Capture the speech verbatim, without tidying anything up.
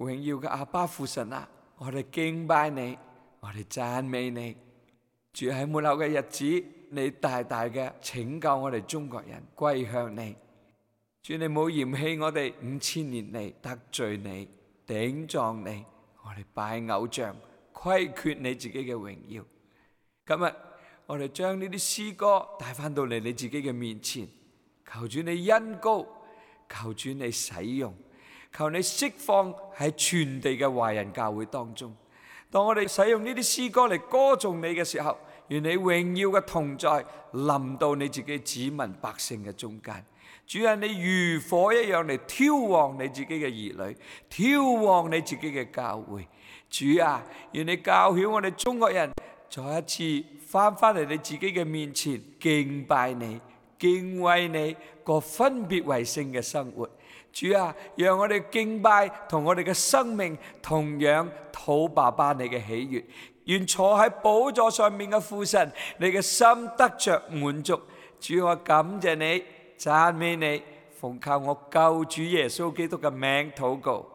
榮耀嘅阿爸父神啊，我哋敬拜你，我哋讚美你。主，喺末後嘅日子，你大大嘅拯救我哋中國人歸向你。主，你冇嫌棄我哋五千年嚟得罪你、頂撞你，我哋拜偶像，虧缺你自己嘅榮耀。今日我哋將呢啲詩歌帶翻到嚟你自己嘅面前，求主你恩膏，求主你使用，求你釋放喺全地嘅華人教會當中。當我哋使用呢啲詩歌嚟歌頌你嘅時候，願你榮耀嘅同在臨到你自己子民百姓嘅中間。主啊，你如火一樣嚟挑旺你自己嘅兒女，挑旺你自己嘅教會。主啊，願你教曉我哋中國人再一次翻返嚟你自己嘅面前，敬拜你、敬畏你，過分別為聖嘅生活。主啊，讓我哋敬拜同我哋嘅生命同樣討爸爸你嘅喜悅。願坐喺寶座上面嘅父神，你嘅心得着滿足。主，我感謝你，讚美你，奉靠我救主耶穌基督嘅名禱告。